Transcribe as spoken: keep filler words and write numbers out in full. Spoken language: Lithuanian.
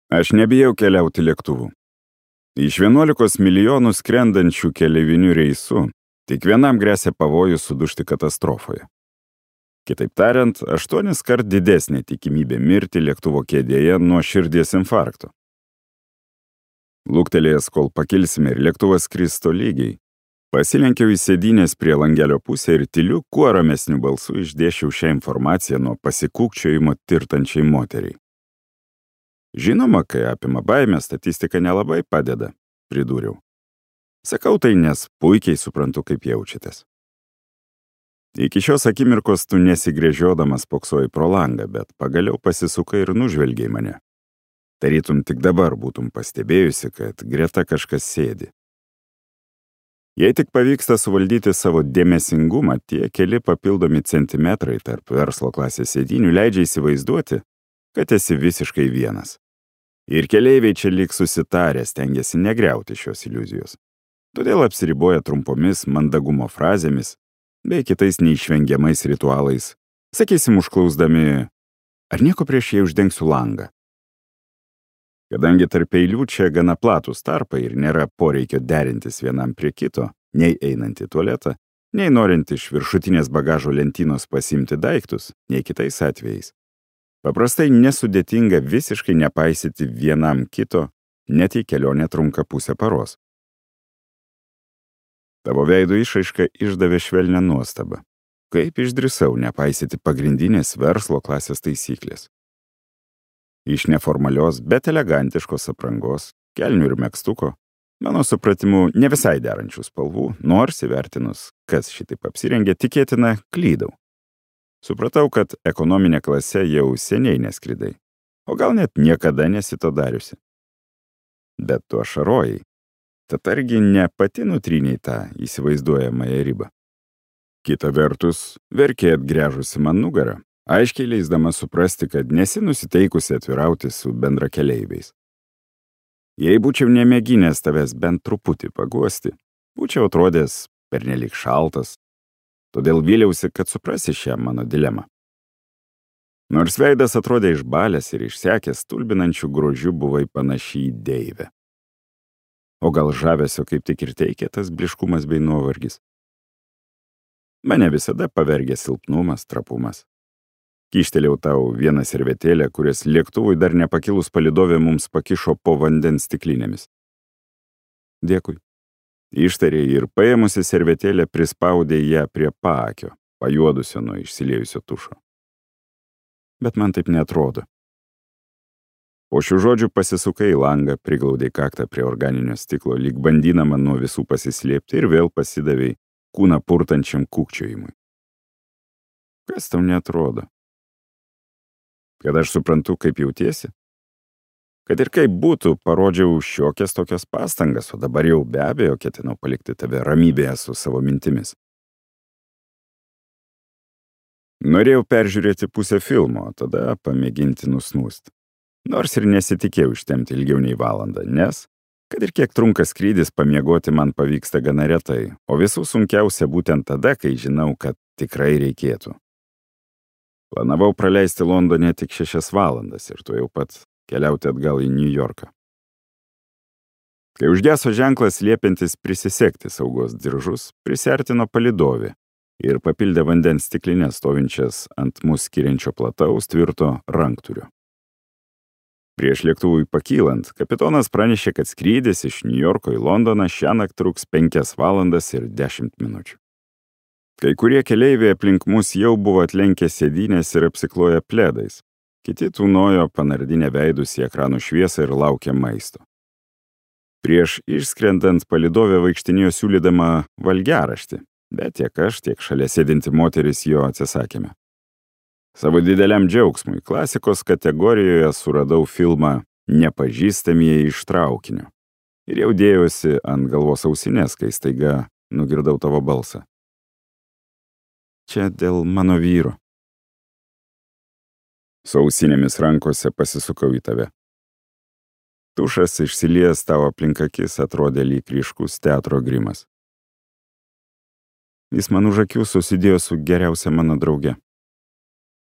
Aš nebijau keliauti lėktuvu. Iš vienuolikos milijonų skrendančių keleivinių reisų tik vienam gresia pavojus sudužti katastrofoje. Kitaip tariant, aštuonis kart didesnė tikimybė mirti lėktuvo kėdėje nuo širdies infarkto. Luktelėjęs, kol pakilsime ir lėktuvas skris tolygiai, pasilenkiau į sėdynės prie langelio pusę ir tyliu, kuo ramesniu balsu išdėšiau šią informaciją nuo pasikūkčiojimo tirtančiai moteriai. Žinoma, kai apima baimė, statistika nelabai padeda, pridūriau. Sakau tai, nes puikiai suprantu, kaip jaučiatės. Iki šios akimirkos tu nesigręžiodamas poksoji pro langą, bet pagaliau pasisukai ir nužvelgiai mane. Tarytum tik dabar būtum pastebėjusi, kad greta kažkas sėdi. Jei tik pavyksta suvaldyti savo dėmesingumą, tie keli papildomi centimetrai tarp verslo klasės sėdinių leidžia įsivaizduoti, kad esi visiškai vienas. Ir keleiviai čia lyg susitarę stengiasi negriauti šios iliuzijos. Todėl apsiriboja trumpomis mandagumo frazėmis bei kitais neišvengiamais ritualais, sakysim, užklausdami, ar nieko prieš jei uždengsiu langą. Kadangi tarp eilių čia gana platūs tarpai ir nėra poreikio derintis vienam prie kito, nei einant į tualetą, nei norint iš viršutinės bagažo lentynos pasimti daiktus, nei kitais atvejais. Paprastai nesudėtinga visiškai nepaisyti vienam kito, net į kelionę trunka pusę paros. Tavo veido išraiška išdavė švelnią nuostabą. Kaip išdrįsau nepaisyti pagrindinės verslo klasės taisyklės. Iš neformalios, bet elegantiškos aprangos, kelnių ir megztuko, mano supratimu, ne visai derančių spalvų, nors įvertinus, kas šitaip apsirengė, tikėtina, klydau. Supratau, kad ekonominė klase jau seniai neskridai, o gal net niekada nesi to dariusi. Bet tu ašarojai, tad argi ne pati nutrynei tą įsivaizduojamąją ribą. Kita vertus, verkė atgręžusi man nugarą, aiškiai leisdama suprasti, kad nesi nusiteikusi atvirauti su bendrakeleiviais. Jei būčiau nemėginęs tavęs bent truputį paguosti, būčiau atrodęs pernelyg šaltas, todėl vyliausi, kad suprasi šią mano dilemą. Nors veidas atrodė išbalęs ir išsekęs, stulbinančių grožių buvai panaši į deivę. O gal žavesio kaip tik ir teikė tas bliškumas bei nuovargis? Mane visada pavergė silpnumas, trapumas. Kyštelėjau tau vieną servetėlę, kurias lėktuvui dar nepakilus palidovė mums pakišo po vandens stiklinėmis. Dėkui. Ištarė ir paėmusi servetėlę prispaudė ją prie paakio, pajuodusio nuo išsiliejusio tušo. Bet man taip neatrodo. Po šių žodžių pasisukai į langą, priglaudei kaktą prie organinio stiklo, lyg bandydama nuo visų pasislėpti ir vėl pasidavei kūną purtančiam kūkčiojimui. Kas tau neatrodo? Kad aš suprantu, kaip jautiesi? Kad ir kaip būtų, parodžiau šiokias tokias pastangas, o dabar jau be abejo ketinau palikti tave ramybėje su savo mintimis. Norėjau peržiūrėti pusę filmo, tada pamėginti nusnūsti. Nors ir nesitikėjau ištemti ilgiau nei valandą, nes, kad ir kiek trunka skrydis, pamiegoti man pavyksta gana retai, o visų sunkiausia būtent tada, kai žinau, kad tikrai reikėtų. Planavau praleisti Londone tik šešias valandas ir tu jau pat keliauti atgal į New Yorką. Kai užgeso ženklas liepiantis prisisegti saugos diržus, prisiartino palidovė ir papildė vandens stiklinės stovinčias ant mus skiriančio plataus tvirto rankturio. Prieš lėktuvui pakylant, kapitonas pranešė, kad skrydis iš New Yorko į Londoną šiąnakt truks penkias valandas ir dešimt minučių. Kai kurie keleiviai aplink mus jau buvo atlenkę sėdynės ir apsikloję pledais. Kiti tūnojo panardinę veidus į ekranų šviesą ir laukė maisto. Prieš išskrendant palidovė vaikštinėjo siūlydama valgiaraštį, bet tiek aš, tiek šalia sėdinti moteris jo atsisakėme. Savo dideliam džiaugsmui klasikos kategorijoje suradau filmą Nepažįstamieji iš traukinio ir jau dėjosi ant galvos ausinės, kai staiga nugirdau tavo balsą. Čia dėl mano vyro. Su ausinėmis rankose pasisukau į tave. Tušas išsiliejęs tavo aplink akis atrodė lyg ryškus teatro grimas. Jis man už akių susidėjo su geriausia mano drauge.